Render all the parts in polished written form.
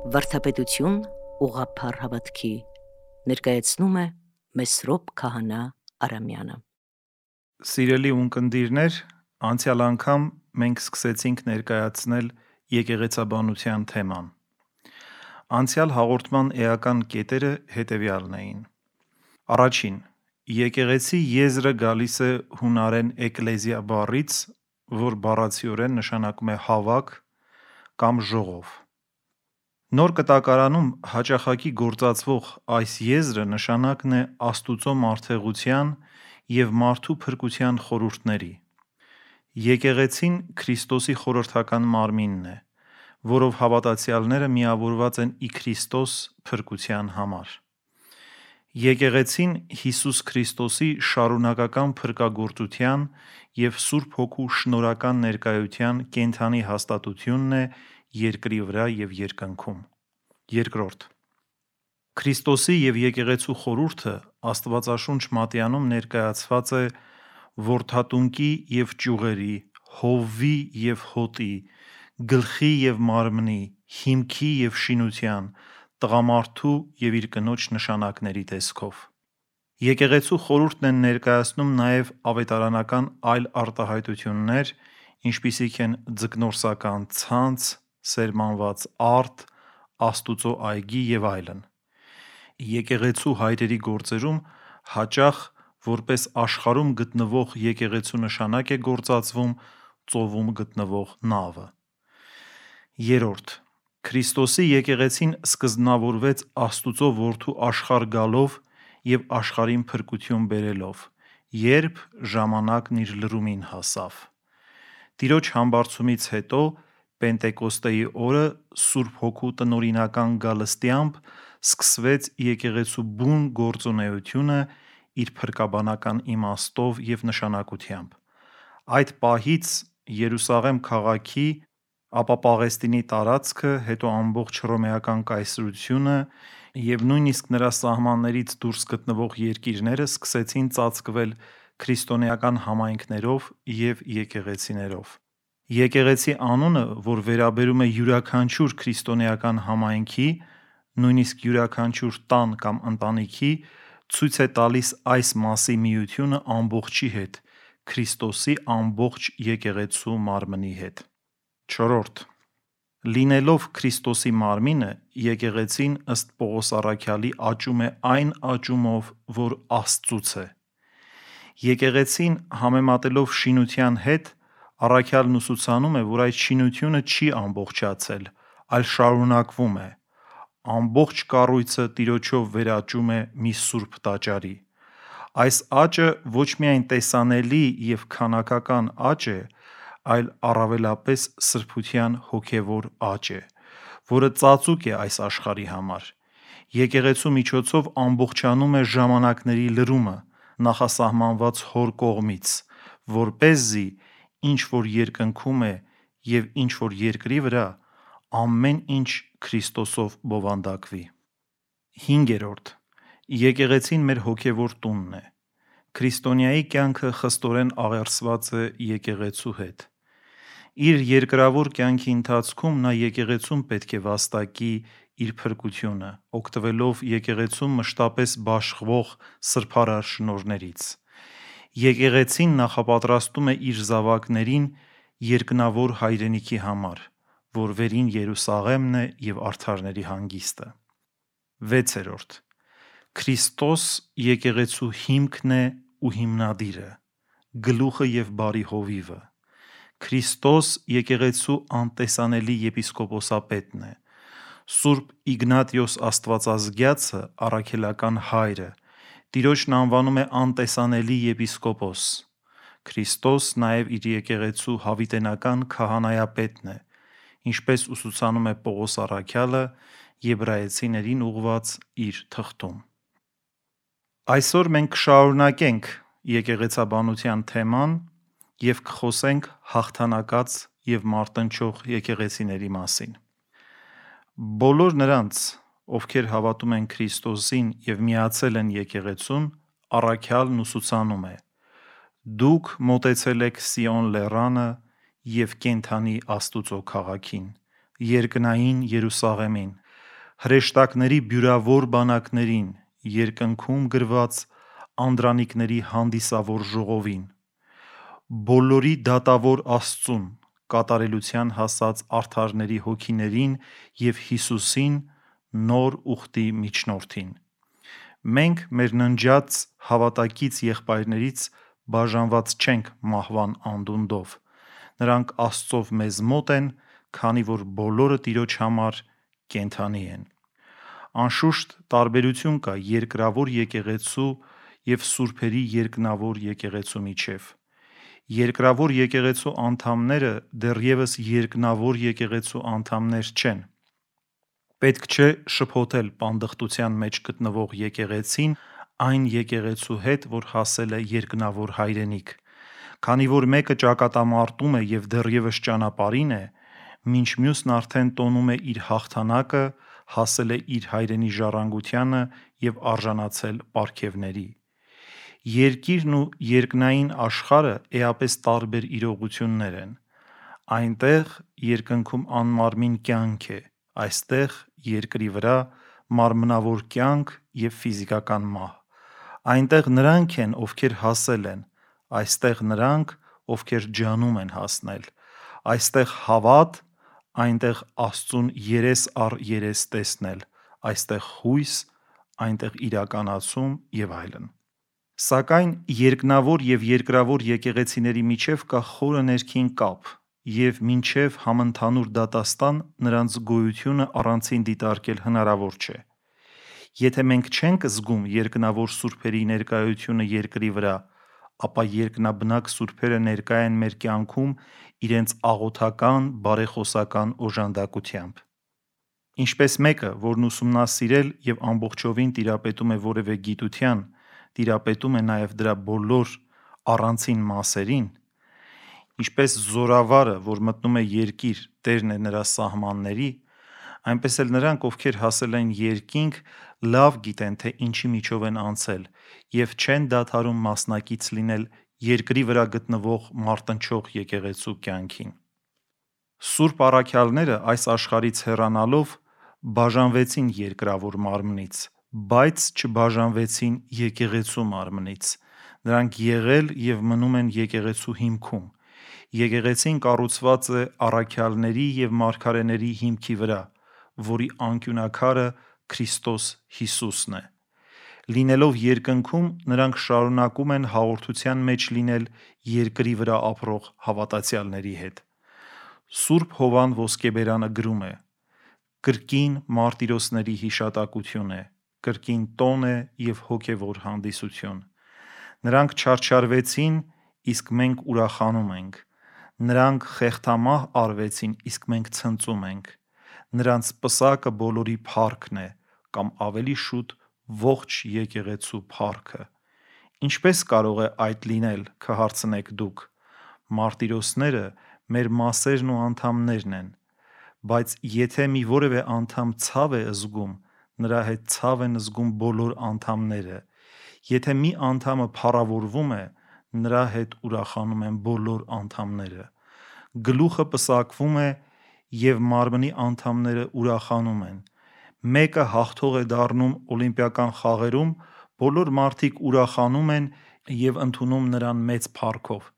Վարդապետություն ուղղափառ հավատքի ներկայացնում է Մեսրոպ Քահանա Արամյանը։ Սիրելի ունկնդիրներ, անցյալ անգամ մենք սկսեցինք ներկայացնել եկեղեցաբանության թեման։ Անցյալ հաղորդման էական կետերը հետևյալն էին. Առաջին, եկեղեցի եզրը գալիս է հունարեն էկլեզիա բառից, որ բառացիորեն նշանակում է հավաք կամ ժողով։ Նոր կտակարանում հաճախակի գործածվող այս եզրը նշանակն է Աստուծո մարդեղության և մարդու փրկության խորհուրդների։ Եկեղեցին Քրիստոսի խորհրդական մարմինն է, որով հավատացյալները միավորված են ի Քրիստոս փրկության համար։ Եկեղեցին Հիսուս Քրիստոսի շարունակական փրկagorծության և Սուրբ Հոգու շնորհական ներկայության կենդանի հաստատությունն է երկրի վրա և երկնքում։ Երկրորդ, Քրիստոսի և եկեղեցու խորհուրդը Աստվածաշունչ մատյանում ներկայացված է որդատունկի և ճյուղերի, հովվի և հոտի, գլխի և մարմնի, հիմքի և շինության, տղամարդու և իր կնոջ նշանակների տեսքով։ Եկեղեցու խորհուրդն են ներկայացնում նաև ավետարանական այլ արտահայտություններ, ինչպիսիք են ձկնորսական ցանց, սերմանված արդ, Աստուծո այգի և այլն։ Եկեղեցու հայրերի գործերում հաճախ որպես աշխարհում գտնվող եկեղեցու նշանակ է գործածվում ծովում գտնվող նավը։ Երրորդ, Քրիստոսի եկեղեցին սկզբնավորվեց Աստուծո որդու աշխարհ գալով և աշխարհին փրկություն բերելով, երբ ժամանակն իր լրումին հասավ։ Տիրոջ համբարձումից հետո Պենտեկոստեի օրը Սուրբ Հոգու տնօրինական գալստյամբ սկսվեց եկեղեցու բուն գործունեությունը իր փրկաբանական իմաստով և նշանակությամբ։ Այդ պահից Երուսաղեմ քաղաքի, ապա Պաղեստինի տարածքը, հետո ամբողջ հռոմեական կայսրությունը և նույնիսկ նրա սահմաններից դուրս գտնվող երկիրները սկսեցին ծածկվել քրիստոնեական համայնքներով և եկեղեցիներով։ Եկեղեցի անունը, որ վերաբերում է յուրաքանչյուր քրիստոնեական համայնքի, նույնիսկ յուրաքանչյուր տան կամ ընտանիքի, ցույց է տալիս այս մասի միությունը ամբողջի հետ, Քրիստոսի ամբողջ եկեղեցու մարմնի հետ։ Չորրորդ, լինելով Քրիստոսի մարմինը, եկեղեցին ըստ Պողոս առաքյալի աճում է այն աճումով, որ Աստծուց է։ Եկեղեցին համեմատելով շինության հետ, առաքյալն ուսուցանում է, որ այդ շինությունը չի ամբողջացել, այլ շարունակվում է։ Ամբողջ կառույցը Տիրոջով վերաճում է մի սուրբ տաճարի։ Այս աճը ոչ միայն տեսանելի և քանակական աճ է, այլ առավելապես սրբության հոգևոր աճ է, որը ծածուկ է այս աշխարհի համար։ Եկեղեցու միջոցով ամբողջանում է ժամանակների լրումը, նախասահմանված Հոր կողմից, որպեսզի ինչ որ երկնքում է և ինչ որ երկրի վրա, ամեն ինչ Քրիստոսով բովանդակվի։ Հինգերորդ, եկեղեցին մեր հոգևոր տունն է։ Քրիստոնյայի կյանքը խստորեն աղերսված է եկեղեցու հետ։ Իր երկրավոր կյանքի ընթացքում նա եկեղեցում պետք է վաստակի իր փրկությունը, օգտվելով եկեղեցում մշտապես բաշխվող սրբարար շնորհներից։ Եկեղեցին նախապատրաստում է իր զավակներին երկնավոր հայրենիքի համար, որ վերին Երուսաղեմն է և արդարների հանգիստը։ Վեցերորդ, Քրիստոս եկեղեցու հիմքն է ու հիմնադիրը, գլուխը և բարի հովիվը։ Քրիստոս եկեղեցու անտեսանելի եպիսկոպոսապետն է։ Սուրբ Իգնատիոս Աստվածազգյացը, առաքելական հայրը, Տիրոջն անվանում է անտեսանելի եպիսկոպոս։ Քրիստոս նաև իր եկեղեցու հավիտենական քահանայապետն է, ինչպես ուսուցանում է Պողոս առաքյալը Եբրայեցիներին ուղղված իր թղթում։ Այսօր մենք կշարունակենք եկեղեցաբանության թեման և կխոսենք հաղթանակած և մարտնչող եկեղեցիների մասին։ Բոլոր նրանց, ովքեր հավատում են Քրիստոսին և միացել են եկեղեցուն, առաքյալն ուսուցանում է. «Դուք մոտեցել եք Սիոն լեռանը և կենդանի Աստուծո քաղաքին, երկնային Երուսաղեմին, հրեշտակների բյուրավոր բանակներին, երկնքում գրված անդրանիկների հանդիսավոր ժողովին, բոլորի դատավոր Աստծուն, կատարելության հասած արդարների հոգիներին և Հիսուսին, նոր ուխտի միջնորդին։ Մենք մեր ննջած հավատակից եղբայրներից բաժանված չենք մահվան անդունդով, նրանք Աստծով մեզ մոտ են, քանի որ բոլորը Տիրոջ համար կենդանի են»։ Անշուշտ տարբերություն կա երկրավոր եկեղեցու և սուրբերի երկնավոր եկեղեցու միջև։ Երկրավոր եկեղեցու անդամները դեռևս երկնավոր եկեղեցու անդամներ չեն։ Պետք չէ շփոթել պանդխտության մեջ գտնվող եկեղեցին այն եկեղեցու հետ, որ հասել է երկնավոր հայրենիք։ Քանի որ մեկը ճակատամարտում է և դեռևս ճանապարհին է, մինչ մյուսն արդեն տոնում է իր հաղթանակը, հասել է իր հայրենի ժառանգությանը և արժանացել պարգևների։ Երկիրն ու երկնային աշխարհը էապես տարբեր իրողություններ են։ Այնտեղ երկնքում անմարմին կյանք է, այստեղ երկրի վրա մարմնավոր կյանք և ֆիզիկական մահ։ Այնտեղ նրանք են, ովքեր հասել են, այստեղ նրանք, ովքեր ջանում են հասնել, այստեղ հավատ, այնտեղ Աստծուն երես առ երես տեսնել, այստեղ հույս, այնտեղ իրականացում և այլն։ Սակայն երկնավոր և երկրավոր եկեղեցիների միջև կա խորը ներքին կապ, և մինչև համընդհանուր դատաստան նրանց գոյությունը առանցին դիտարկել հնարավոր չէ։ Եթե մենք չենք զգում երկնավոր սուրբերի ներկայությունը երկրի վրա, ապա երկնաբնակ սուրբերը ներկա են մեր կյանքում իրենց աղոթական, բարեխոսական օժանդակությամբ։ Ինչպես մեկը, որն ուսումնասիրել և ամբողջովին տիրապետում է որևէ գիտության, տիրապետում է նաև դրա բոլոր առանցին մասերին, ինչպես զորավարը, որ մտնում է երկիր, տերն է նրա սահմանների, այնպես էլ նրանք, ովքեր հասել են երկինք, լավ գիտեն, թե ինչի միջով են անցել և չեն դադարում մասնակից լինել երկրի վրա գտնվող մարտնչող եկեղեցու կյանքին։ Սուրբ առաքյալները այս աշխարհից հեռանալով բաժանվեցին երկրավոր մարմնից, բայց չբաժանվեցին եկեղեցու մարմնից։ Նրանք եղել և մնում են եկեղեցու հիմքում։ Եկեղեցին կառուցված է առաքյալների և մարգարեների հիմքի վրա, որի անկյունաքարը Քրիստոս Հիսուսն է։ Լինելով երկնքում, նրանք շարունակում են հաղորդության մեջ լինել երկրի վրա ապրող հավատացյալների հետ։ Սուրբ Հովհան Ոսկեբերանը գրում է. «Կրկին մարտիրոսների հիշատակություն է, կրկին տոն է և հոգևոր հանդիսություն։ Նրանք չարչարվեցին, իսկ մենք ուրախանում ենք։ Նրանք խեղդամահ արվեցին, իսկ մենք ցնծում ենք։ Նրանց պսակը բոլորի փառքն է, կամ ավելի շուտ ողջ եկեղեցու փառքը»։ Ինչպե՞ս կարող է այդ լինել, կհարցնեք դուք։ Մարտիրոսները մեր մասերն ու անդամներն են։ Բայց եթե մի որևէ անդամ ցավ է զգում, նրա հետ ցավ են զգում բոլոր անդամները։ Եթե մի անդամը փառավորվում է, նրա հետ ուրախանում են բոլոր անդամները։ Գլուխը պսակվում է, և մարմնի անդամները ուրախանում են։ Մեկը հաղթող է դառնում օլիմպիական խաղերում, բոլոր մարդիկ ուրախանում են և ընդունում նրան մեծ փառքով։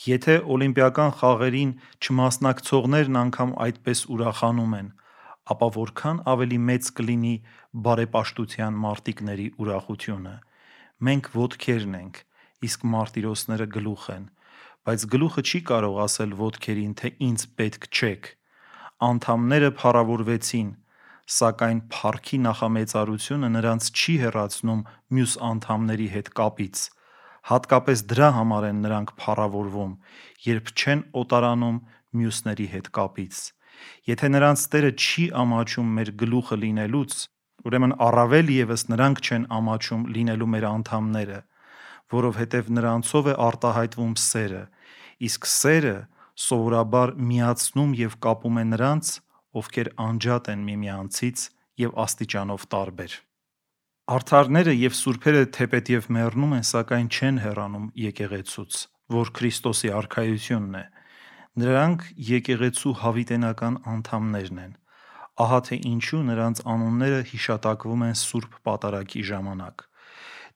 Եթե օլիմպիական խաղերին չմասնակցողներն անգամ այդպես ուրախանում են, ապա որքան ավելի մեծ կլինի բարեպաշտության մարտիկների ուրախությունը։ Մենք ոտքերն ենք, իսկ մարտիրոսները գլուխ են, բայց գլուխը չի կարող ասել ոտքերին, թե ինձ պետք չեք։ Անդամները փառավորվեցին, սակայն փառքի նախամեծարությունը նրանց չի հեռացնում մյուս անդամների հետ կապից։ Հատկապես դրա համար են նրանք փառավորվում, երբ չեն օտարանում մյուսների հետ կապից։ Եթե նրանց Տերը չի ամաչում մեր գլուխը լինելուց, ուրեմն առավել ևս նրանք չեն ամաչում լինելու մեր անդամները, որովհետև նրանցով է արտահայտվում սերը, իսկ սերը սովորաբար միացնում և կապում է նրանց, ովքեր անջատ են միմյանցից և աստիճանով տարբեր։ Արդարները և սուրբերը թեպետև մեռնում են, սակայն չեն հեռանում եկեղեցուց, որ Քրիստոսի արքայությունն է։ Նրանք եկեղեցու հավիտենական անդամներն են։ Ահա թե ինչու նրանց անունները հիշատակվում են Սուրբ Պատարագի ժամանակ։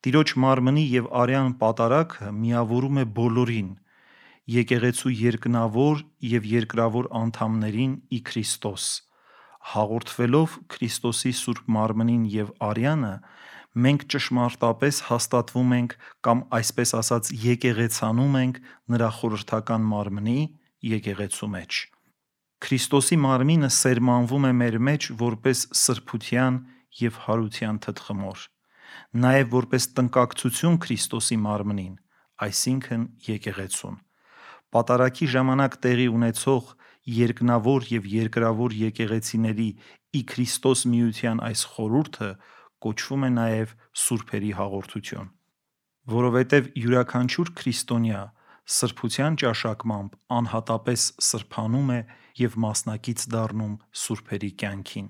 Տիրոջ մարմնի և արյան պատարագը միավորում է բոլորին, եկեղեցու երկնավոր և երկրավոր անդամներին ի Քրիստոս։ Հաղորդվելով Քրիստոսի Սուրբ մարմնին և արյանը, մենք ճշմարտապես հաստատվում ենք կամ այսպես ասած եկեղեցանում ենք նրա խորհրդական մարմնի՝ եկեղեցու մեջ։ Քրիստոսի մարմինը սերմանվում է մեր մեջ որպես սրբության և հարության թտխմոր, նաև որպես տնկակցություն Քրիստոսի մարմնին, այսինքն եկեղեցուն։ Պատարագի ժամանակ տեղի ունեցող երկնավոր և երկրավոր եկեղեցիների ի Քրիստոս միության այս խորհուրդը կոչվում է նաև սուրբերի հաղորդություն, որովհետև յուրաքանչյուր քրիստոնյա սրբության ճաշակմամբ անհատապես սրբանում է և մասնակից դառնում սուրբերի կյանքին։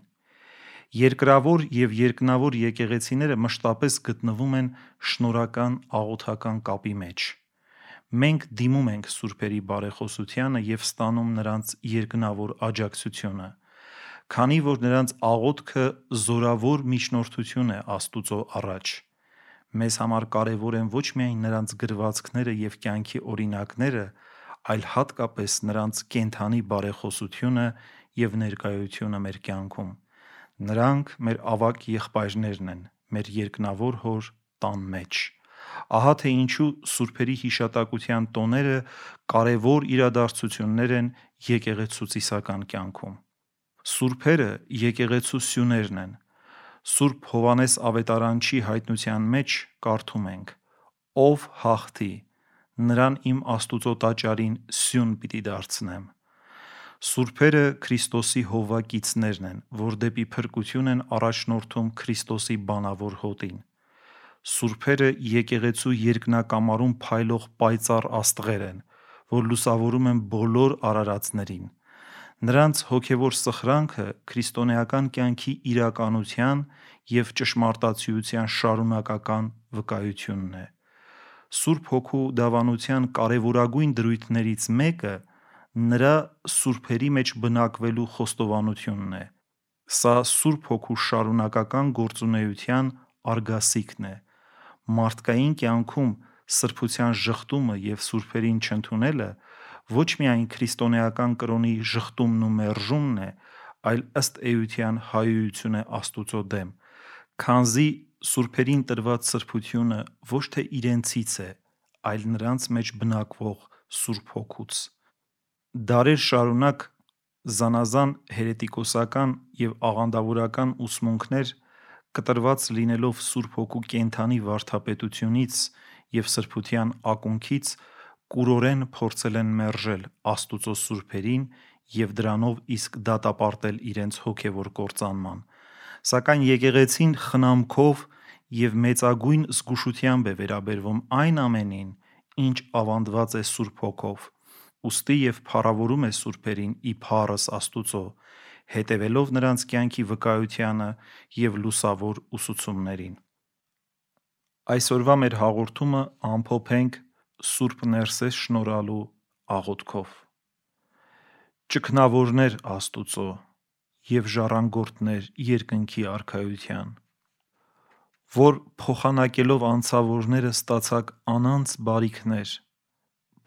Երկրավոր և երկնավոր եկեղեցիները մշտապես գտնվում են շնորհական աղոթական կապի մեջ։ Մենք դիմում ենք սուրբերի բարեխոսությանը և ստանում նրանց երկնավոր աջակցությունը, քանի որ նրանց աղոթքը զորավոր միջնորդություն է Աստուծո առաջ։ Մեզ համար կարևոր են ոչ միայն նրանց գրվածքները և կյանքի օրինակները, այլ հատկապես նրանց կենդանի բարեխոսությունը և ներկայությունը մեր կյանքում։ Նրանք մեր ավագ եղբայրներն են մեր երկնավոր Հոր տան մեջ։ Ահա թե ինչու սուրբերի հիշատակության տոները կարևոր իրադարձություններ են եկեղեցու ծիսական կյանքում։ Սուրբերը եկեղեցու սյուներն են։ Սուրբ Հովհաննես Ավետարանչի հայտնության մեջ կարդում ենք. «Ով հաղթի, նրան իմ Աստուծո տաճարին սյուն պիտի դարձնեմ»։ Սուրբերը Քրիստոսի հովվակիցներն են, որ դեպի փրկություն են առաջնորդում Քրիստոսի բանավոր հոտին։ Սուրբերը եկեղեցու երկնակամարում փայլող պայծառ աստղեր են, որ լուսավորում են բոլոր արարածներին։ Նրանց հոգևոր սխրանքը քրիստոնեական կյանքի իրականության և ճշմարտացիության շարունակական վկայությունն է։ Սուրբ Հոգու դավանության կարևորագույն դրույթներից մեկը նրա սուրբերի մեջ բնակվելու խոստովանությունն է։ Սա Սուրբ Հոգու շարունակական գործունեության արգասիքն է։ Մարդկային կյանքում սրբության ժխտումը և սուրբերին չընդունելը ոչ միայն քրիստոնեական կրոնի ժխտումն ու մերժումն է, այլ ըստ էության հայհոյություն է Աստուծո դեմ, քանզի սուրբերին տրված սրբությունը ոչ թե իրենցից է, այլ նրանց մեջ բնակվող Սուրբ Հոգուց։ Դարեր շարունակ զանազան հերետիկոսական և աղանդավորական ուսմունքներ կտրված լինելով Սուրբ Հոգու կենդանի վարդապետությունից և սրբության ակունքից կուրորեն փորձել են մերժել Աստուծո սուրբերին և դրանով իսկ դատապարտել իրենց հոգևոր կործանման։ Սակայն եկեղեցին խնամքով և մեծագույն զգուշությամբ է վերաբերվում այն ամենին, ինչ ավանդված է Սուրբ Հոգով, ուստի և փառավորում է սուրբերին ի փառս Աստուծո, հետևելով նրանց կյանքի վկայությանը և լուսավոր ուսուցումներին։ Այսօրվա մեր հաղորդումը ամփոփենք Սուրբ Ներսես շնորհալու աղոթքով։ Ճգնավորներ Աստուծո և ժառանգորդներ երկնքի արքայության, որ փոխանակելով անցավորները ստացաք անանց բարիքներ,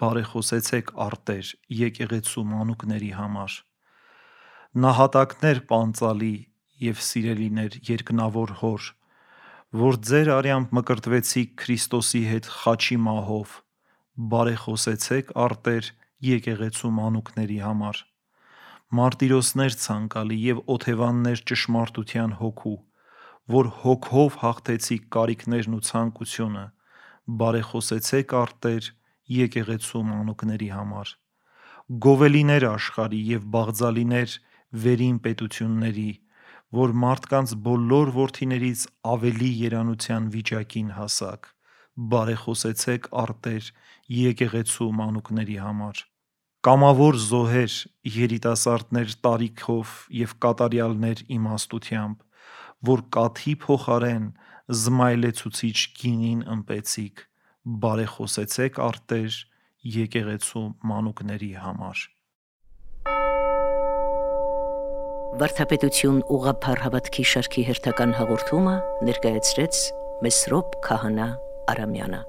բարեխոսեցեք արտեր եկեղեցու մանուկների համար, նահատակներ պանծալի և սիրելիներ երկնավոր Հոր, որ ձեր արյամբ մկրտվեցիք Քրիստոսի հետ խաչի մահով, բարեխոսեցեք արտեր եկեղեցու մանուկների համար, մարտիրոսներ ցանկալի և օթևաններ ճշմարտության հոգու, որ հոգով հաղթեցիք կարիքներն ու ցանկությունը, բարեխոսեցեք արտեր եկեղեցու մանուկների համար, գովելիներ աշխարհի և բաղձալիներ վերին պետությունների, որ մարդկանց բոլոր որդիներից ավելի երանության վիճակին հասաք, բարեխոսեցեք արտեր եկեղեցու մանուկների համար, Կամավոր զոհեր, երիտասարդներ տարիքով և կատարյալներ իմաստությամբ, որ կաթի փոխարեն զմայլեցուցիչ գինին ըմպեցիք, բարեխոսեցեք առ Տեր եկեղեցու մանուկների համար։ Վարդապետություն ուղղափառ հավատքի շարքի հերթական հաղորդումը ներկայացրեց Մեսրոպ Քահանա Արամյանը։